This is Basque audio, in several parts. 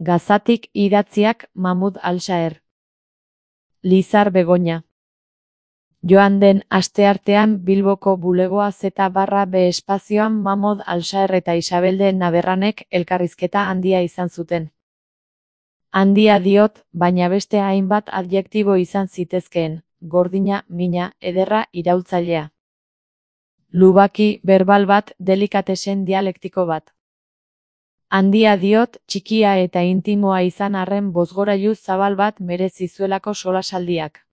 Gazatik idatziak Mahmud Al-Shaher. Lizar Begoña. Joan den asteartean Bilboko bulegoa Z/B espazioan Mahmud Al-Shaher eta Isabelde Naberranek elkarrizketa handia izan zuten. Handia diot, baina beste hainbat adjektibo izan zitezkeen, gordina, mina, ederra, iraultzailea. Lubaki, berbal bat, delikatesen dialektiko bat. Handia diot, txikia eta intimoa izan arren bozgorailu zabal bat merezi zuelako solasaldiak.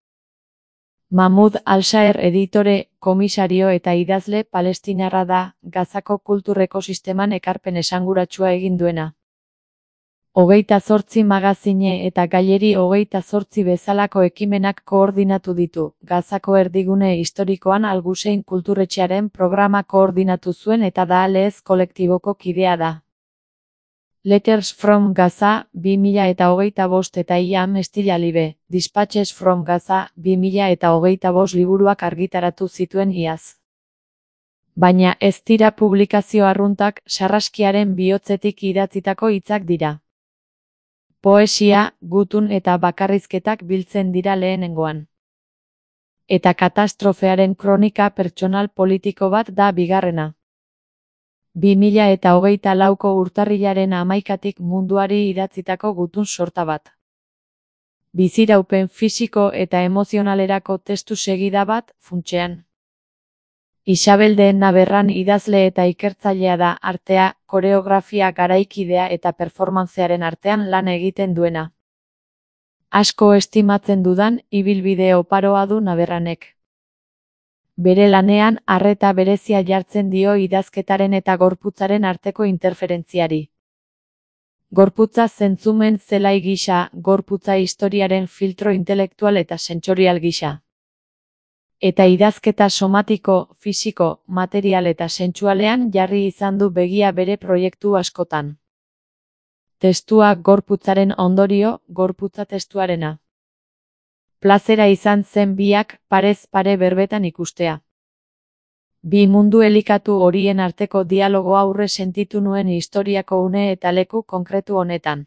Mahmud Al-Shaher editore, komisario eta idazle palestinarra da, Gazako kultur ekosisteman ekarpen esanguratsua egin duena. 28 magazine eta Gaileri 28 bezalako ekimenak koordinatu ditu, Gazako erdigune historikoan Al-Hussein kulturretxearen programa koordinatu zuen eta da Lez kolektiboko kidea da. Letters from Gaza 2025 eta Iam Estilalibe, Dispatches from Gaza 2025 liburuak argitaratu zituen iaz. Baina ez dira publikazio arruntak, sarraskiaren bihotzetik idatzitako hitzak dira. Poesia, gutun eta bakarrizketak biltzen dira lehenengoan. Eta katastrofearen kronika pertsonal politiko bat da bigarrena. 2024ko urtarrilaren 11tik munduari idatzitako gutun sorta bat. Biziraupen fisiko eta emozionalerako testu segida bat, funtsean. Isabelde Naberran idazle eta ikertzailea da, artea, koreografia garaikidea eta performancearen artean lan egiten duena. Asko estimatzen dudan ibilbide oparoa du Naberranek. Bere lanean arreta berezia jartzen dio idazketaren eta gorputzaren arteko interferentziari. Gorputza zentzumen zelai gisa, gorputza historiaren filtro intelektual eta sentsorial gisa. Eta idazketa somatiko, fisiko, material eta sentsualean jarri izan du begia bere proiektu askotan. Testua gorputzaren ondorio, gorputza testuarena. Plazera izan zen biak parez pare berbetan ikustea. Bi mundu elikatu horien arteko dialogo aurre sentitu nuen historiako une eta leku konkretu honetan.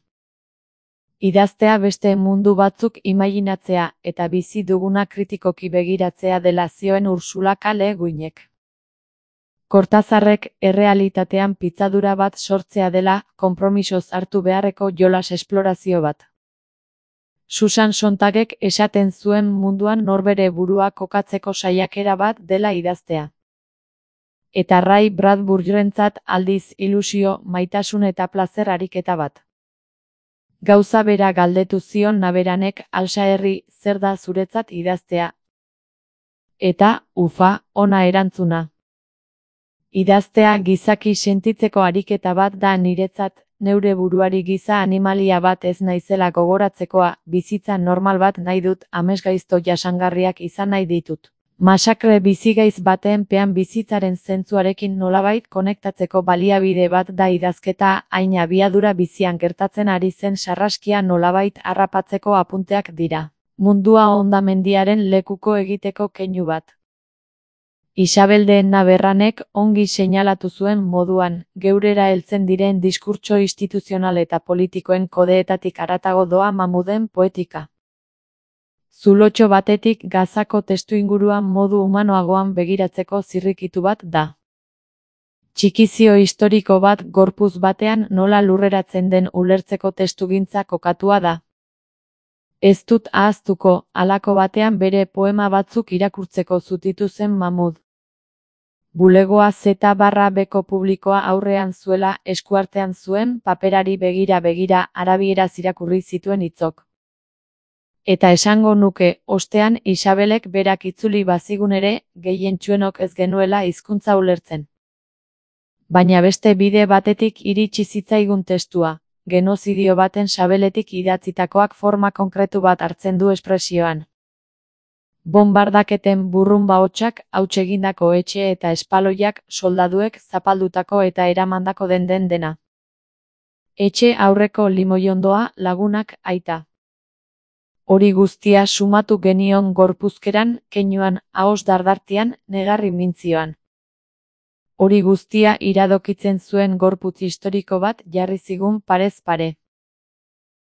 Idaztea beste mundu batzuk imaginatzea eta bizi duguna kritikoki begiratzea dela zioen Ursula K. Le Guinek. Kortazarrek errealitatean pitzadura bat sortzea dela, konpromisoz hartu beharreko jolas esplorazio bat. Susan Sontagek esaten zuen munduan norbere burua kokatzeko saiakera bat dela idaztea. Eta Ray Bradburyrentzat aldiz ilusio, maitasun eta plazer ariketa bat. Gauza bera galdetu zion Naberranek Al-Shaherri, zer da zuretzat idaztea? Eta, ufa, ona erantzuna. Idaztea gizaki sentitzeko ariketa bat da niretzat, neure buruari giza animalia bat ez naizela gogoratzekoa, bizitza normal bat nahi dut, amesgaizto jasangarriak izan nahi ditut. Masakre bizigaiz baten pean bizitzaren zentzuarekin nolabait konektatzeko baliabide bat da idazketa, hain abiadura bizian gertatzen ari zen sarraskia nolabait harrapatzeko apunteak dira. Mundua hondamendiaren lekuko egiteko keinu bat. Isabelde Naberranek ongi seinalatu zuen moduan, geurera heltzen diren diskurtso instituzional eta politikoen kodeetatik haratago doa Mahmuden poetika. Zulotxo batetik Gazako testuinguruan modu humanoagoan begiratzeko zirrikitu bat da. Txikizio historiko bat gorputz batean nola lurreratzen den ulertzeko testugintza kokatua da. Ez dut ahaztuko, halako batean bere poema batzuk irakurtzeko zutitu zen Mahmud. Bulegoa Z/Bko publikoa aurrean zuela, eskuartean zuen, paperari begira arabieraz irakurri zituen hitzok. Eta esango nuke, ostean Isabelek berak itzuli bazigun ere, gehientsuenok ez genuela hizkuntza ulertzen. Baina beste bide batetik iritsi zitzaigun testua, genozidio baten sabeletik idatzitakoak forma konkretu bat hartzen du espresioan. Bonbardaketen burrunba hotsak, hauts egindako etxe eta espaloiak, soldaduek zapaldutako eta eramandako den dena. Etxe aurreko limoiondoa, lagunak, aita. Hori guztia sumatu genion gorpuzkeran, keinuan, ahos dardartian, negarri mintzioan. Hori guztia iradokitzen zuen gorputz historiko bat jarri zigun parez pare.